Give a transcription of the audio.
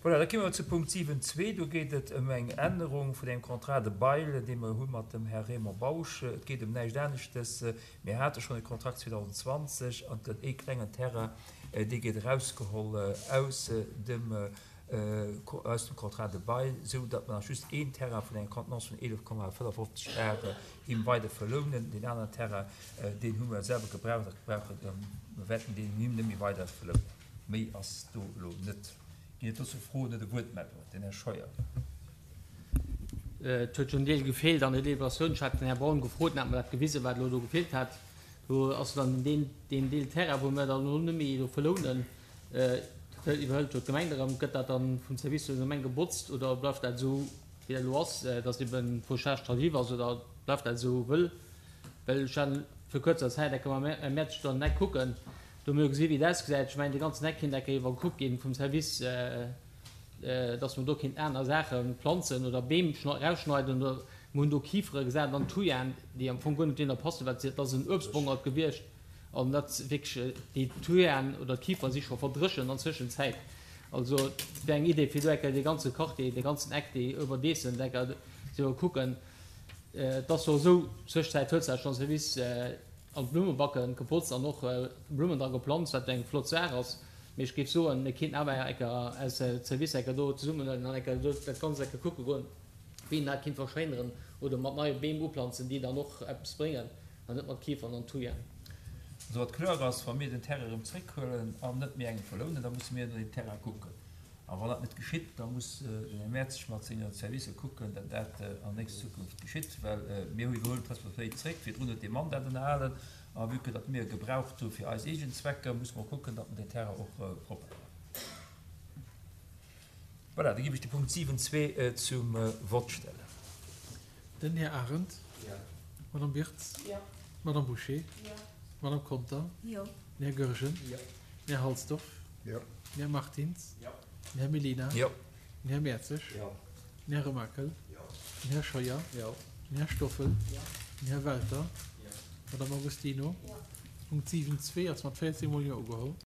Voilà, da komme mer zu Punkt 7.2. Do geet et ëm eng Ännerung vun engem Contrat de bail, dee mer hu mat dem Här Raymond Bausch. Et geet ëm näischt aneschtes. Mir hate schonn e Kontrakt 2020 an et gëtt ee klengen Terrain, dee gétt erausgeholl aus dem, aus dem Contrat de bail, esou datt mer nach just een Terrain vun enger Contenance vun 11,55 Ar him weider verlounen. Deen aneren Terrain, deen hu mer selwer gebraucht a gebrauchen, mer wäerten deen him net méi weider verlounen. Méi ass do elo net. Ginn et dozou Froen oder Wuertmeldungen? Den Här Scheuer. Et huet jo en Deel gefeelt an der Deliberatioun. Ech hat den Här Braun gefrot, en hat mer dat gewisen, wat elo do gefeelt hat. Do ass dann deen, deen Deel Terrain, wou mer dann elo net méi do verlounen, dat iwwerhëlt jo d'Gemeng erëm. Gëtt dat dann vum Service vun der Gemeng gebotzt oder bleift dat esou, wéi dat elo ass, dass eben d'Fauchage tardive ass oder bleift dat esou wëll? Well ech hat vir kuerzer Zäit enke mam Här Mertsch do an den Eck kucken, do hu mir jo gesi wéi et ausgesäit. Ech mengen, dee ganzen Eck kéint enke iwwerkuckt ginn vum Service, dass mer do kéinten aner Saache planzen oder Beem erausschneiden oder mer hunn do Kifere gesat an Thujaen, déi am Fong guer net dohinner passen, well dat ass en Uebstbongert gewiescht an dat wierklech déi Thujaen oder d'Kifere si scho verdréchent an Zwëschenzäit. Also et wär eng Idee fir do eng Kéier dee ganze Quartier, dee ganzen Eck, déi Oberdeessen eng Kéier ze iwwerkucken. Et ass jo esou, Zwëschenzäit huet sech schonn Service an d'Blummebacken gepotzt an och Blummen dra geplanzt, wat eng flott Saach ass. Mee ech géif soen, mir kéinten awer enker eis Servicer enker do zesummenhuelen an enker do dat Ganzt enker kucke goen, wéi een dat kéint verschéineren oder mat neie Beem uplanzen, déi dann och eppes bréngen an net mat Kiefern an Thujen. Also wat kloer ass, wa mir den Terrain erëm zréckhuelen an net méi engem verlounen, da musse mir no deem Terrain kucken. A wann dat net geschitt, da muss den Här Merz mat senge Servicer kucken, datt dat an nächster Zukunft geschitt, well mir hu iwwerhuelen d'Responsabilitéit zréck. Virdrun huet dee Mann dat ënnerhalen. A vue que datt mir e gebraucht hu fir eis eegen Zwecker, musse mer kucken, datt mer deen Terrain och propper maachen. Voilà, da géif ech de Punkt 7.2 zum Vott stellen. Den Här Arendt. Jo. D'Madame Wirtz. Jo. D'Madame Bouché. Jo. D'Madame Conter. Jo. Den Här Goergen. Jo. Den Här Halsdorf. Jo. Den Här Martins. Jo. Den Här Mellina. Jo. Den Här Mertzig. Jo. Den Här Remakel. Jo. Den Här Scheuer. Jo. Den Här Stoffel. Jo. Den Här Welter. Jo. D'Madame Agostino. Jo. Punkt 7.2 ass mat 14 mol Jo ugeholl.